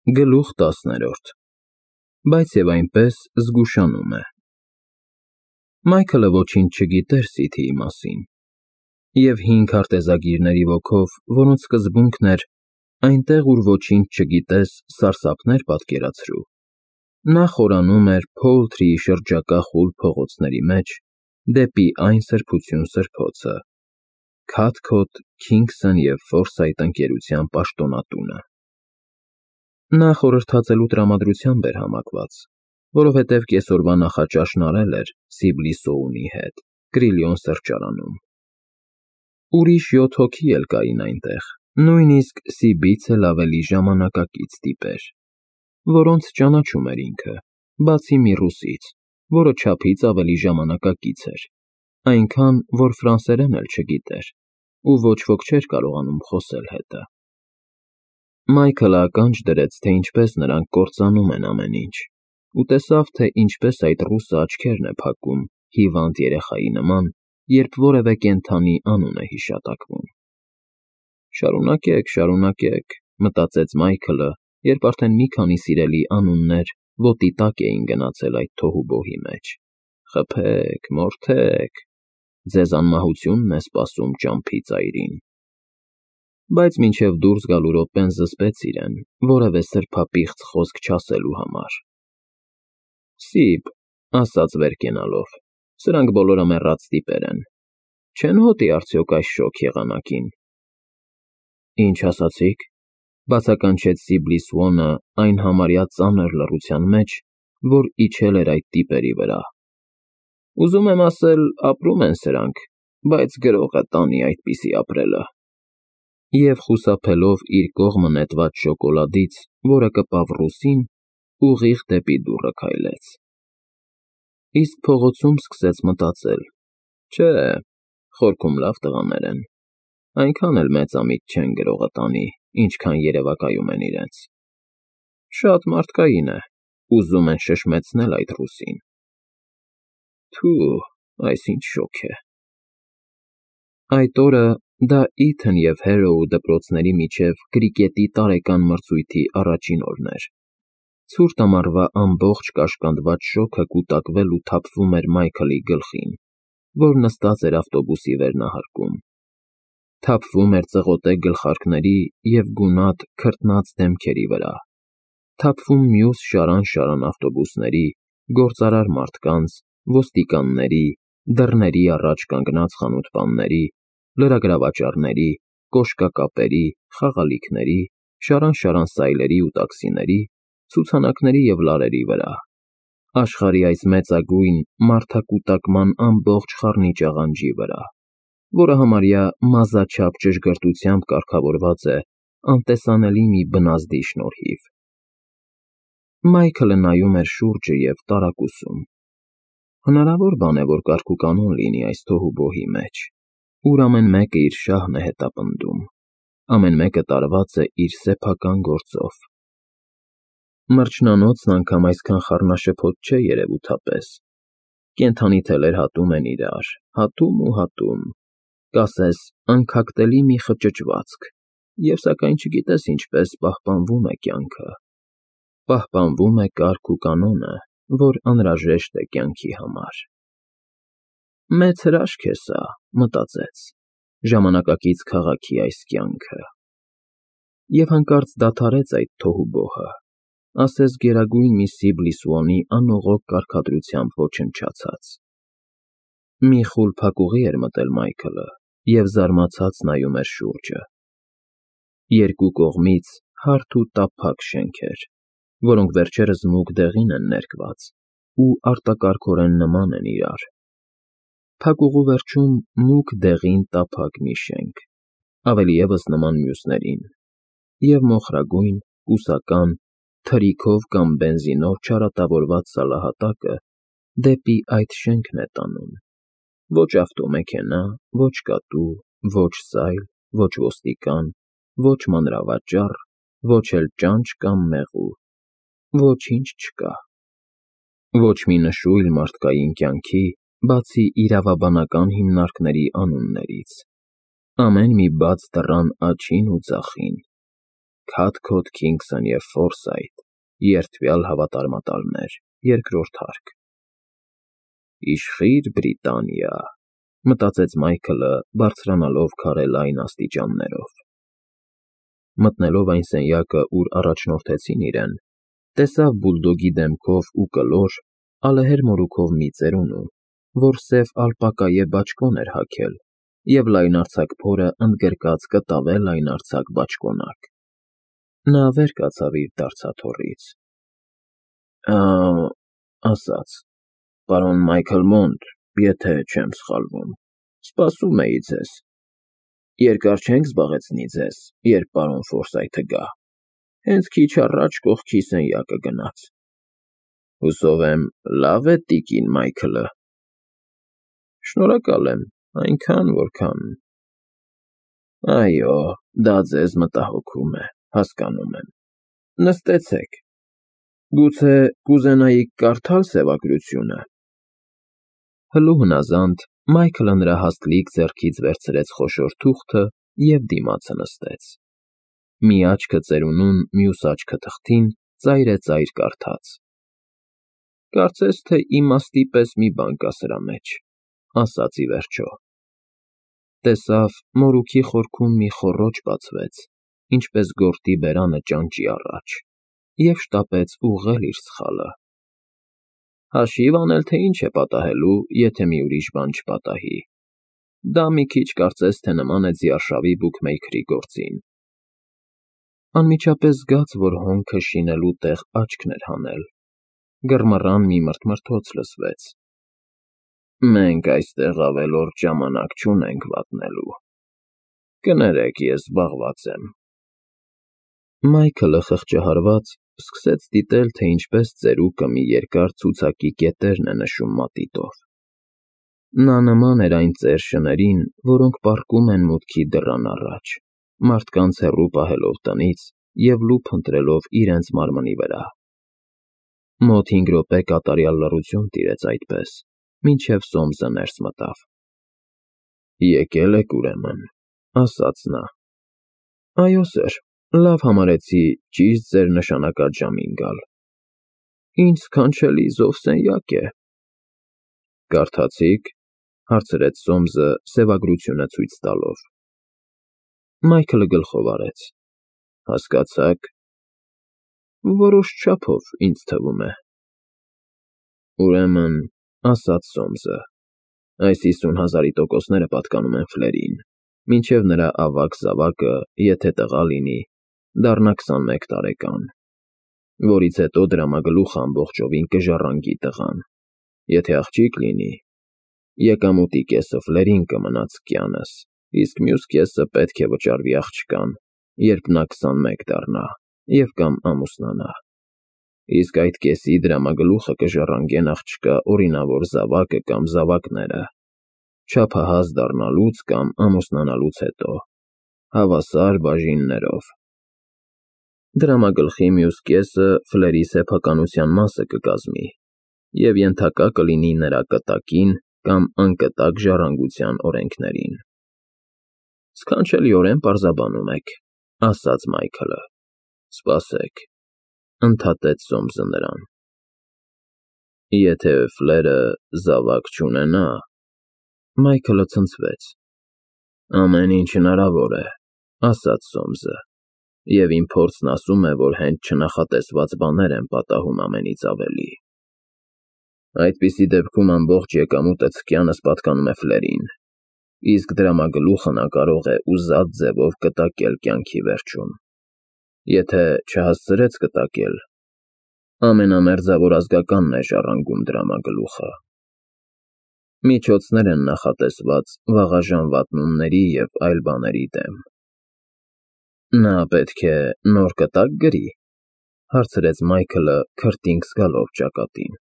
Գլուխ 10 Բայց և այնպես զգուշանում է։ Մայքլը ոչինչ չգիտեր Սիդիի մասին, և հին քարտեզագիրների ոգով, որոնց սկզբունքն էր «այնտեղ, ուր ոչինչ չգիտես, սարսափներ պատկերացրու», նա խորանում էր Փոուլթրիի շրջակա խուլ փողոցների մեջ դեպի այն սրբություն սրբոցը՝ Քաթքոթ, Քինգսն և Ֆորսայթ ընկերության պաշտոնատունը։ Նա խորհրդածելու տրամադրությամբ էր համակված, որովհետև կեսօրվա նախաճաշն արել էր Սիբլի Սոունի հետ Կրիլիոն սրճարանում։ Ուրիշ 7 հոգի էլ կային այնտեղ, նույնիսկ Սիբից էլ ավելի ժամանակակից տիպեր, որոնց ճանաչում էր ինքը, բացի մի ռուսից, որը չափից ավելի ժամանակակից էր, այնքան, որ ֆրանսերեն էլ չգիտեր, ու ոչ ոք չէր կարողանում խոսել հետը։ Մայքլը ականջ դրեց, թե ինչպես նրանք կործանում են ամեն ինչ, ու տեսավ, թե ինչպես այդ ռուսը աչքերն է փակում հիվանդ երեխայի նման, երբ որևէ կենդանի անուն է հիշատակվում։ «Շարունակեք, շարունակեք», մտածեց Մայքլը, երբ արդեն մի քանի սիրելի անուններ ոտի տակ էին գնացել այդ թոհուբոհի մեջ։ «Խփեք, մորթեք, ձեզ անմահությունն է սպասում ճամփի ծայրին»։ Բայց մինչև դուրս գալու րոպեն զսպեց իրեն որևէ սրբապիղծ խոսք չասելու համար։ «Սիբ», ասաց վեր կենալով, «սրանք բոլորը մեռած տիպեր են, չեն հոտի արդյոք այս շոգ եղանակին»։ «Ինչ ասացիք», բացականչեց Սիբլի Սուոնը այն համարյա ծանր լռության մեջ, որ իջել էր այդ տիպերի վրա։ «Ուզում եմ ասել, ապրում են սրանք, բայց գրողը տանի այդպիսի ապրելը»։ Եվ խուսափելով իր կողմը նետված շոկոլադից, որը կպավ ռուսին, ուղիղ դեպի դուռը քայլեց։ Իսկ փողոցում սկսեց մտածել. «Չէ, խորքում լավ տղաներ են, այնքան էլ մեծամիտ չեն գրողը տանի, ինչքան երևակայում են իրենց։ Շատ մարդկային է, ուզում են շշմեցնել այդ ռուսին։ Թյու, այս ինչ շոգ է»։ Այդ օրը դա Իթն և Հարոու դպրոցների միջև կրիկետի տարեկան մրցույթի առաջին օրն էր։ Ցուրտ ամառվա ամբողջ կաշկանդված շոգը կուտակվել ու թափվում էր Մայքլի գլխին, որ նստած էր ավտոբուսի վերնահարկում։ Թափվում էր ծղոտե գլխարկների և գունատ, քրտնած դեմքերի վրա, թափվում մյուս շարան ավտոբուսների, գործարար մարդկանց, ոստիկանների, դռների առաջ կանգնած խանութպանների, լրագրավաճառների, կոշկակապերի, խաղալիքների, շարան սայլերի ու տաքսիների, ցուցանակների և լարերի վրա, աշխարհի այս մեծագույն մարդակուտակման ամբողջ խառնիճ աղանջի վրա, որը համարյա մազաչափ ճշգրտությամբ կարգավորված է անտեսանելի մի բնազդի շնորհիվ։ Մայքլը նայում էր շուրջը և տարակուսում։ Հնարավոր բան է, որ կարգուկանոն լինի այս թոհուբոհի մեջ, ուր ամեն մեկը իր շահն է հետապնդում, ամեն մեկը տարված է իր սեփական գործով։ Մրջնանոցն անգամ այսքան խառնաշփոթ չէ երևութապես։ Կենդանի թելեր հատում են իրար, հատում ու հատում, կասես անքակտելի մի խճճվածք, և սակայն չգիտես ինչպես պահպանվում է կյանքը։ Պահպանվում է կարգ ու կանոնը, որ անհրաժեշտ է կյանքի համար։ Մեծ հրաշք է սա, մտածեց, ժամանակակից քաղաքի այս կյանքը։ Եվ հանկարծ դադարեց այդ թոհուբոհը, ասես գերագույն մի Սիբլի Սուոնի անողոք կարգադրությամբ ոչնչացած։ Մի խուլ փակուղի էր մտել Մայքլը և զարմացած նայում էր շուրջը։ Երկու կողմից հարթ ու տափակ շենքեր, որոնք վերջերս մուգ դեղին են ներկված ու արտակարգորեն նման են իրար։ Փակուղու վերջում մուգ դեղին տափակ մի շենք, ավելի ևս նման մյուսներին, և մոխրագույն, բուսական, թրիքով կամ բենզինով չարատավորված սալահատակը դեպի այդ շենքն է տանում։ Ոչ ավտոմեքենա, ոչ կատու, ոչ սայլ, ոչ ոստիկան, ոչ մանրավաճառ, ոչ էլ ճանճ կամ մեղու, ոչինչ չկա։ Ոչ մի նշույլ մարդկային կյանքի, բացի իրավաբանական հիմնարկների անուններից։ Ամեն մի բաց դռան աջին ու ձախին։ Քաթքոթ, Քինգսոն և Ֆորսայթ, երդվյալ հավատարմատալներ, երկրորդ հարկ։ Իշխիր Բրիտանիա, մտածեց Մայքլը, բարձրանալով քարե լայն աստիճաններով։ Մտնելով այն սենյակը, ուր առաջնորդեցին իրեն, տեսավ բուլդոգի դեմքով ու կլոր, ալեհեր մորուքով մի ծերունու, որ սև ալպակայե բաճկոն էր հագել և լայնարձակ փորը ընդգրկած կտավե լայնարձակ բաճկոնակ։ Նա վեր կացավ իր դարցաթոռից։ Ասաց. Պարոն Մայքլ Մոնդ, եթե չեմ սխալվում, սպասում էի ձեզ։ Երկար չենք զբաղեցնի ձեզ, երբ պարոն Ֆորսայթը գա։ Հենց քիչ առաջ կողքի սենյակը գնաց։ Հուսով եմ, լավ է տիկին Մայքլը։ Շնորհակալ եմ, այնքան, որքան… Այո, դա ձեզ մտահոգում է, հասկանում եմ։ Նստեցեք։ Գուցե կուզենայիք կարդալ սևագրությունը։ Հլու հնազանդ Մայքլը նրա հաստլիկ ձեռքից վերցրեց խոշոր թուղթը և դիմացը նստեց։ Մի աչքը ծերունուն, մյուս աչքը թղթին, ծայրեծայր կարդաց։ Կարծես թե իմաստի պես մի բան կա սրա մեջ, ասաց ի վերջո։ Տեսավ, մորուքի խորքում մի խոռոչ բացվեց, ինչպես գորտի բերանը ճանճի առաջ, և շտապեց ուղղել իր սխալը։ Հաշիվ անել, թե ինչ է պատահելու, եթե մի ուրիշ բան չպատահի։ Դա մի քիչ կարծես թե նման է ձիարշավի բուքմեյքերի գործին։ Անմիջապես զգաց, որ հոնքը շինելու տեղ աչքն էր հանել։ Գռմռան մի մրթմրթոց լսվեց։ Մենք այստեղ ավելորդ ժամանակ չունենք վատնելու։ Կներեք, ես զբաղված եմ։ Մայքլը խղճահարված սկսեց դիտել, թե ինչպես ծերուկը մի երկար ցուցակի կետերն է նշում մատիտով։ Նա նման էր այն ծեր շներին, որոնք պառկում են մուտքի դռան առաջ, մարդկանց հեռու պահելով տնից և լուփ ընտրելով իրենց մարմնի վրա։ Մոտ 5 րոպե կատարյալ լռություն տիրեց այդպես, մինչև Սոմսը ներս մտավ։ Եկել եք ուրեմն, ասաց նա։ Այո, սըր, լավ համարեցի ճիշտ ձեր նշանակած ժամին գալ։ Ինչ սքանչելի զով սենյակ է։ Կարդացի՞ք, հարցրեց Սոմսը սևագրությունը ցույց տալով։ Մայքլը գլխով արեց։ Հասկացա՞ք։ Որոշ չափով, ինձ թվում է։ Ուրեմն, ասաց Սոմսը, այս 50,000-ի տոկոսները պատկանում են Ֆլերին, մինչև նրա ավագ զավակը, եթե տղա լինի, դառնա 21 տարեկան, որից հետո դրամագլուխը ամբողջովին կժառանգի տղան, եթե աղջիկ լինի, եկամուտի կեսը Ֆլերին կմնա ցկյանս, իսկ մյուս կեսը պետք է վճարվի աղջկան, երբ նա 21 դառնա և կամ ամուսնանա, իսկ այդ կեսի դրամագլուխը կժառանգեն աղջկա օրինավոր զավակը կամ զավակները, չափահաս դառնալուց կամ ամուսնանալուց հետո, հավասար բաժիններով։ Դրամագլխի մյուս կեսը Ֆլերի սեփականության մասը կկազմի և ենթակա կլինի նրա կտակին կամ անկտակ ժառանգության օրենքներին։ Սքանչելիորեն պարզաբանում եք, ասաց Մայքլը։ Սպասեք, ընդհատեց Սոմսը նրան։ Եթե Ֆլերը զավակ չունենա… Մայքլը ցնցվեց։ Ամեն ինչ հնարավոր է, ասաց Սոմսը, և իմ փորձն ասում է, որ հենց չնախատեսված բաներ են պատահում ամենից ավելի։ Այդպիսի դեպքում ամբողջ եկամուտը ցկյանս պատկանում է Ֆլերին, իսկ դրամագլուխը նա կարող է ուզած ձևով կտակել կյանքի վերջում։ Եթե չհասցրեց կտակել, ամենամերձավոր ազգականն է ժառանգում դրամագլուխը։ Միջոցներ են նախատեսված վաղաժամ վատնումների և այլ բաների դեմ։ Նա պետք է նոր կտակ գրի, հարցրեց Մայքլը քրտինք զգալով ճակատին։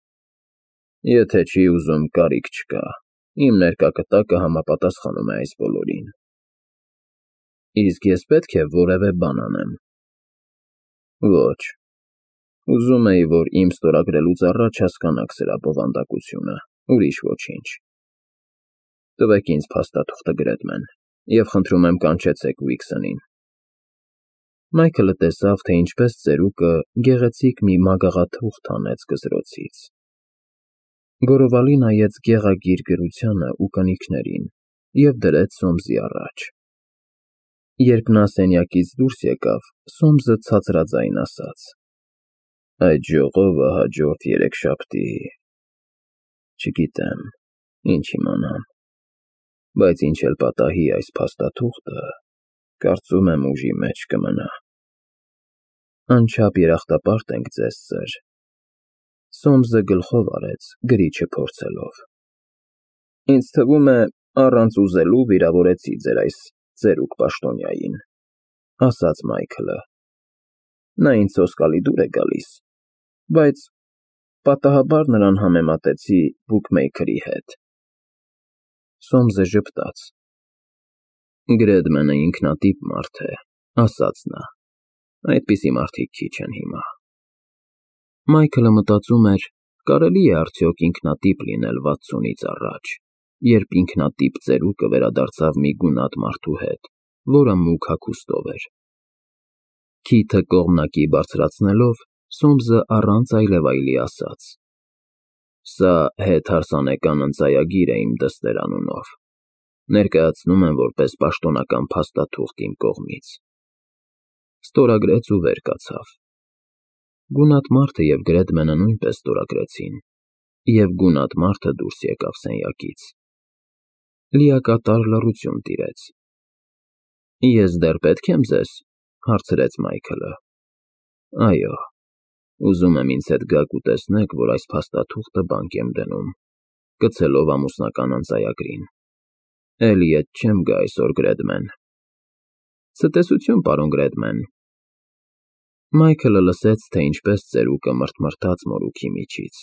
Եթե չի ուզում, կարիք չկա, իմ ներկա կտակը համապատասխանում է այս բոլորին։ Իսկ ես պետք է որևէ բան անեմ։ Ոչ, ուզում էի, որ իմ ստորագրելուց առաջ հասկանաք սրա բովանդակությունը, ուրիշ ոչինչ։ Տվեք ինձ փաստաթուղթը գրեդմեն և խնդրում եմ կանչեցեք Ուիքսընին։ Մայքլը տեսավ, թե ինչպես ծերուկը գեղեցիկ մի մագաղաթուղթ հանեց գզրոցից։ Գորովալի նայեց գեղագիր գրությանը ու կնիքներին և դրեց Սոմսի առաջ։ Երբ նա սենյակից դուրս եկավ, Սոմսը ցածրաձայն ասաց. «Այդ ժողովը հաջորդ երեքշաբթի… Չգիտեմ, ինչ իմանամ, բայց ինչ էլ պատահի այս փաստաթուղթը, կարծում եմ ուժի մեջ կմնա»։ «Անչափ երախտապարտ ենք ձեզ, սըր», Սոմսը գլխով արեց, գրիչը փորձելով։ «Ինձ թվում է, առանց ուզելու վիրավորեցի ձեր այս ծերուկ պաշտոնյային», ասաց Մայքլը։ «Նա ինձ սոսկալի դուր է գալիս, բայց պատահաբար նրան համեմատեցի բուքմեյքերի հետ»։ Սոմսը ժպտաց։ «Գրեդմենը ինքնատիպ մարդ է», ասաց նա։ «Այդպիսի մարդիկ քիչ են հիմա»։ Մայքլը մտածում էր, կարելի է արդյոք ինքնատիպ լինել 60-ից առաջ, երբ ինքնատիպ ծերուկը վերադարձավ մի գունատ մարդու հետ, որը մուգ հագուստով էր։ Քիթը կողմնակի բարձրացնելով, Սոմսը առանց այլևայլի ասաց. «Սա հետհարսանեկան ընծայագիր է իմ դստեր անունով։ Ներկայացնում եմ որպես պաշտոնական փաստաթուղթ իմ կողմից»։ Ստորագրեց ու վեր կացավ։ Գունատ մարդը և Գրեդմենը նույնպես ստորագրեցին, և գունատ մարդը դուրս եկավ սենյակից։ Լիակատար լռություն տիրեց։ «Ես դեռ պետք եմ ձեզ», հարցրեց Մայքլը։ «Այո, ուզում եմ ինձ հետ գաք ու տեսնեք, որ այս փաստաթուղթը բանկ եմ դնում», կցելով ամուսնական ընծայագրին։ «Էլի ետ չեմ գա այսօր, Գրեդմեն»։ «Ցտեսություն, պարոն Գրեդմեն»։ Մայքլը լսեց, թե ինչպես ծերուկը մռթմռթաց մորուքի միջից,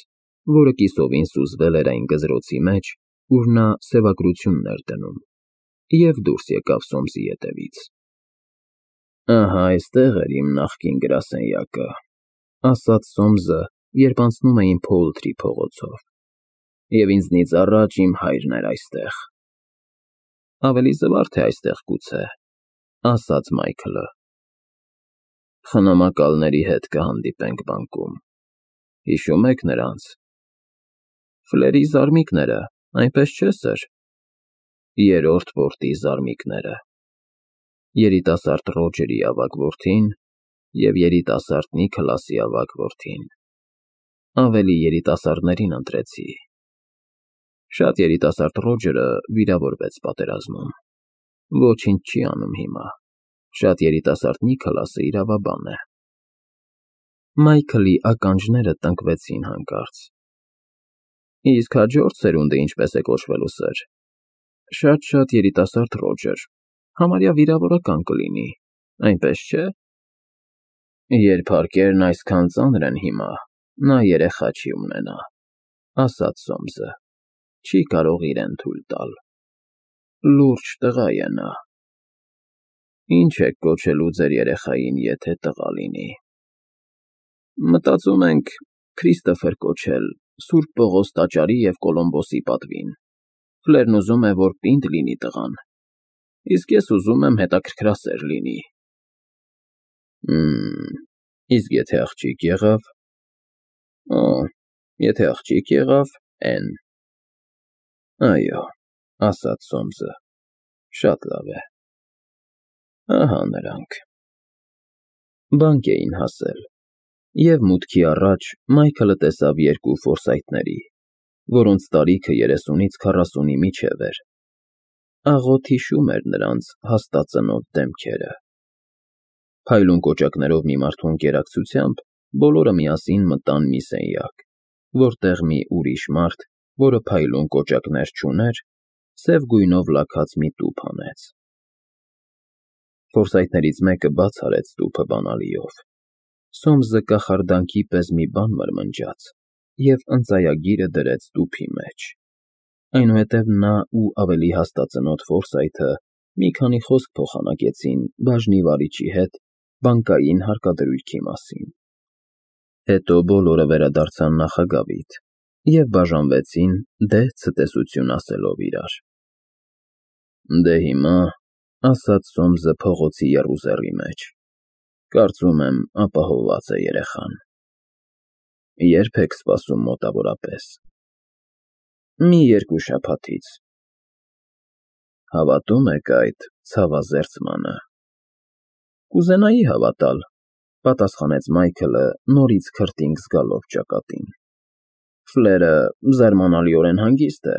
որը կիսովին սուզվել էր այն գզրոցի մեջ, ուր նա սևագրությունն էր դնում, և դուրս եկավ Սոմսի ետևից։ «Ահա այստեղ էր իմ նախկին գրասենյակը», ասաց Սոմսը, երբ անցնում էին Փոուլթրի փողոցով, «և ինձնից առաջ իմ հայրն էր այստեղ»։ «Ավելի զվարթ է այստեղ, գուցե», ասաց Մայքլը։ «Խնամակալների հետ կհանդիպենք բանկում, հիշո՞ւմ եք նրանց»։ «Ֆլերի զարմիկները, այնպես չէ՞, սըր»։ «Երրորդ պորտի զարմիկները։ Երիտասարդ Ռոջերի ավագ որդին և երիտասարդ Նիքլասի ավագ որդին։ Ավելի երիտասարդներին ընտրեցի։ Շատ երիտասարդ Ռոջերը վիրավորվեց պատերազմում։ Ոչինչ չի անում հիմա։ Շատ երիտասարդ Նիքլասը իրավաբան է»։ Մայքլի ականջները տնկվեցին հանկարծ։ «Իսկ հաջորդ սերունդը ինչպես է կոչվելու, սըր»։ «Շատ երիտասարդ Ռոջեր, համարյա վիրավորական կլինի, այնպես չէ»։ «Երբ հարկերն այսքան ծանր են հիմա, նա երեխա չի ունենա», ասաց Սոմսը։ «Չի կարող իրեն թույլ տալ։ Լուրջ տղա է նա»։ «Ինչ եք կոչելու ձեր երեխային, եթե տղա լինի»։ «Մտածում ենք Քրիստոֆեր կոչել Սուրբ Պողոս տաճարի և Կոլումբոսի պատվին։ Ֆլերն ուզում է, որ պինդ լինի տղան, իսկ ես ուզում եմ հետաքրքրասեր լինի»։ Իսկ եթե աղջիկ եղավ։ Օ, եթե աղջիկ եղավ, Էն։ «Այո», ասաց Սոմսը, «շատ լավ է։ Ահա նրանք»։ Բանկ էին հասել, և մուտքի առաջ Մայքլը տեսավ երկու Ֆորսայթների, որոնց տարիքը 30-ից 40-ի միջև էր։ Աղոտ հիշում էր նրանց հաստածնոտ դեմքերը։ Փայլուն կոճակներով մի մարդու ընկերակցությամբ բոլորը միասին մտան մի սենյակ, որտեղ մի ուրիշ մարդ, որը փայլուն կոճակներ չուներ, սև գույնով լաքած մի տուփ հանեց։ Ֆորսայթներից մեկը բաց արեց տուփը բանալիով։ Սոմսը կախարդանքի պես մի բան մրմնջաց և ընծայագիրը դրեց տուփի մեջ։ Այնուհետև նա ու ավելի հաստածնոտ Ֆորսայթը մի քանի խոսք փոխանակեցին բաժնի վարիչի հետ բանկային հարկադրույքի մասին։ Հետո բոլորը վերադարձան նախագավիթ և բաժանվեցին դե ցտեսություն ասելով իրար։ «Դե հիմա», ասաց Սոմսը փողոցի եռուզեռի մեջ, Կարծում եմ, ապահովված է երեխան։ Ե՞րբ եք սպասում մոտավորապես։ Մի 2 շաբաթից։ Հավատո՞ւմ եք այդ ցավազերծմանը։ Կուզենայի հավատալ, պատասխանեց Մայքլը, նորից քրտինք զգալով ճակատին։ Ֆլերը զարմանալիորեն հանգիստ է,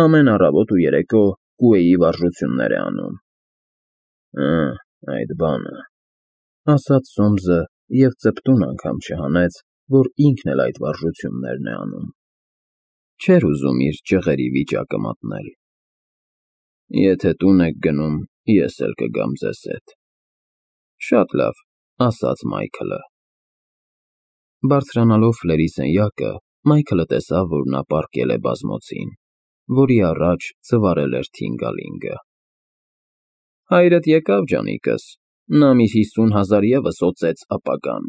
ամեն առավոտ ու երեկո կուեի վարժություններ է անում։ Այդ բանը, ասաց Սոմսը և ծպտուն անգամ չհանեց, որ ինքն էլ այդ վարժություններն է անում։ Չէր ուզում իր ճղերի վիճակը մատնել։ Եթե տուն եք գնում, ես էլ կգամ ձեզ հետ։ Շատ լավ, ասաց Մայքլը։ Բարձրանալով Ֆլերի սենյակը, Մայքլը տեսավ, որ նա պառկել է բազմոցին, որի առաջ ծվարել էր Թինգալինգը։ Հայրդ եկավ, ջանիկս, նա մի 50,000 ևս օծեց ապագան։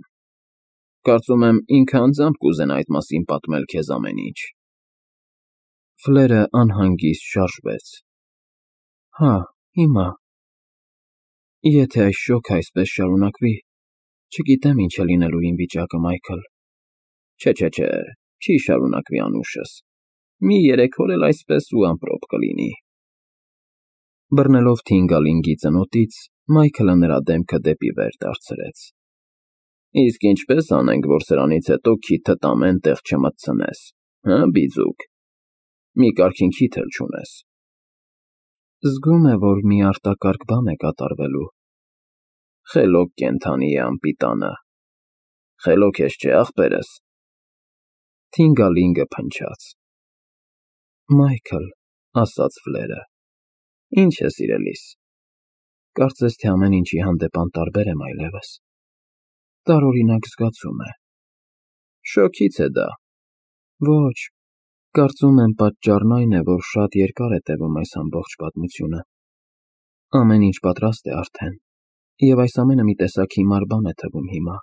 Կարծում եմ, ինքը անձամբ կուզենա այդ մասին պատմել քեզ ամեն ինչ։ Ֆլերը անհանգիստ շարժվեց։ Հա, հիմա։ Եթե այս շոգը այսպես շարունակվի, չգիտեմ ինչ է լինելու իմ վիճակը, Մայքլ։ Չէ, չի շարունակվի անուշս։ Մի 3 օր էլ այսպես ու ամպրոպ կլինի։ Բռնելով Թինգալինգի ծնոտից, Մայքլը նրա դեմքը դեպի վեր դարձրեց։ Իսկ ինչպես անենք, որ սրանից հետո քիթդ ամեն տեղ չմտցնես, հը, բիձուկ։ Մի կարգին քիթ էլ չունես։ Զգում է, որ մի արտակարգ բան է կատարվելու։ Խելոք կենդանի է անպիտանը։ Խելոք ես չէ, ախպերս։ Թինգալինգը փնչաց։ Մայքլ, ասաց Ֆլերը։ Ինչ է, սիրելիս։ Կարծես թե ամեն ինչի հանդեպ անտարբեր եմ այլևս։ Տարօրինակ զգացում է։ Շոգից է դա։ Ոչ, կարծում եմ պատճառն այն է, որ շատ երկար է տևում այս ամբողջ պատմությունը։ Ամեն ինչ պատրաստ է արդեն, և այս ամենը մի տեսակ հիմար բան է թվում հիմա։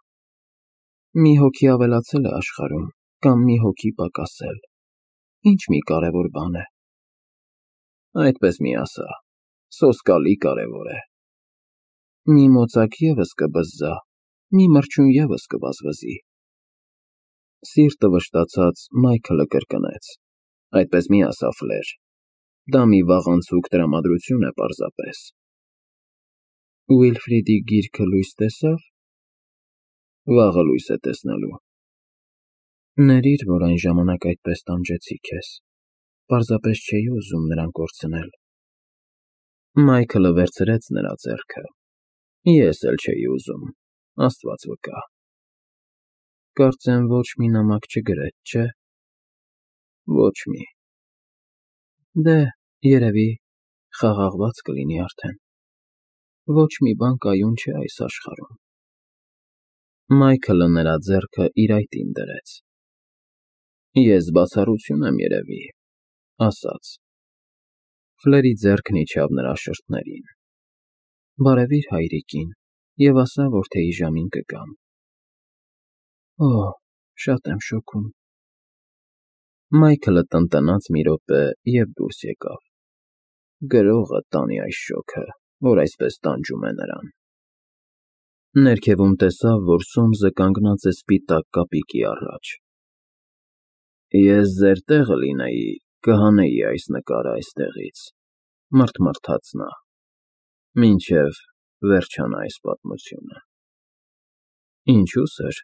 Մի հոգի ավելացել է աշխարհում, կամ մի հոգի պակասել։ Ինչ մի կարևոր բան է։ Այդպես մի ասա, սոսկալի կարևոր է։ Մի մոծակ ևս կբզզա, մի մրջյուն ևս կվազվզի։ Սիրտը վշտացած Մայքլը կրկնեց. Այդպես մի ասա, Ֆլեր, դա մի վաղանցուկ տրամադրություն է պարզապես։ Ուիլֆրիդի գիրքը լույս տեսավ։ Վաղը լույս է տեսնելու։ Ներիր, որ այն ժամանակ այդպես տանջեցի քեզ, պարզապես չէի ուզում նրան կորցնել։ Մայքլը վերցրեց նրա ձեռքը։ Ես էլ չէի ուզում, Աստված վկա։ Կարծեմ ոչ մի նամակ չգրեց, չէ։ Ոչ մի։ Դե, երևի, խաղաղված կլինի արդեն։ Ոչ մի բան կայուն չէ այս աշխարհում։ Մայքլը նրա ձեռքը իր այտին դրեց։ Ես բացառություն եմ երևի, ասաց։ Ֆլերի ձեռքն իջավ նրա շրթներին։ Բարևիր հայրիկին և ասա, որ թեյի ժամին կգամ։ Օ, շատ եմ շոգում։ Մայքլը տնտնաց մի րոպե և դուրս եկավ։ Գրողը տանի այս շոգը, որ այսպես տանջում է նրան։ Ներքևում տեսավ, որ Սոմսը կանգնած է սպիտակ կապիկի առաջ։ Ես ձեր տեղը լինեի, կհանեի այս նկարը այստեղից, մռթմռթաց նա, մինչև վերջանա այս պատմությունը։ Ինչու՞ սր,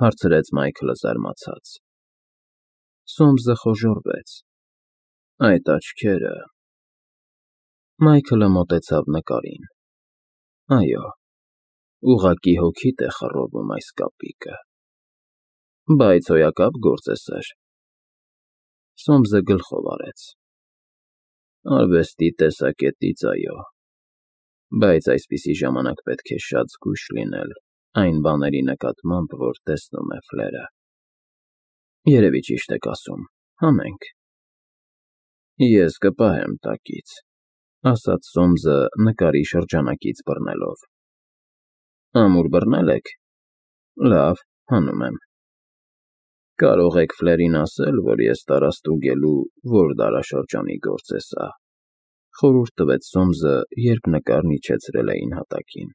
հարցրեց Մայքլը զարմացած։ Սոմսը խոժոռվեց։ Այդ աչքերը… Մայքլը մոտեցավ նկարին։ Այո, ուղղակի հոգիդ է խռովում այս կապիկը։ Բայց հոյակապ գործ է, սըր։ Սոմսը գլխով արեց։ Արվեստի տեսակետից, այո, բայց այսպիսի ժամանակ պետք է շատ զգույշ լինել այն բաների նկատմամբ, որ տեսնում է Ֆլերը։ Երևի ճիշտ եք ասում, հանենք։ Ես կպահեմ տակից, ասաց Սոմսը նկարի շրջանակից բռնելով։ Ամուր բռնել եք։ Լավ, հանում եմ։ Կարող եք Ֆլերին ասել, որ ես տարաստուգելու որ դարաշրջանի գործ է սա, խորհուրդ տվեց Սոմսը, երբ նկարն իջեցրել էին հատակին։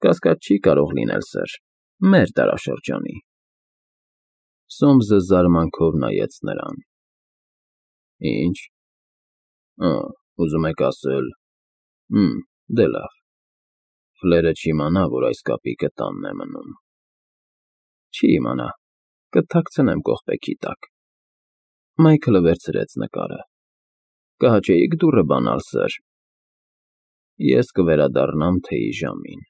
Կասկած չի կարող լինել, սըր, մեր դարաշրջանի։ Սոմսը զարմանքով նայեց նրան։ Ինչ։ Ուզում եք ասել… Դե լավ, Ֆլերը չիմանա, որ այս կապիկը տանն է մնում։ Չի իմանա, կթաքցնեմ կողպեքի տակ։ Մայքլը վերցրեց նկարը։ Կհաճեի՞ք դուռը բանալ, սըր։ Ես կվերադառնամ թեյի ժամին,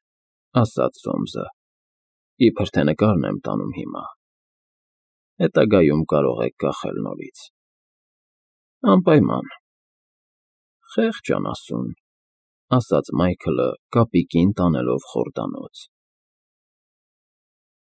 ասաց Սոմսը, իբր թե նկարն եմ տանում հիմա, հետագայում կարող եք կախել նորից։ Անպայման։ Խեղճ անասուն, ասաց Մայքլը կապիկին տանելով խորդանոց։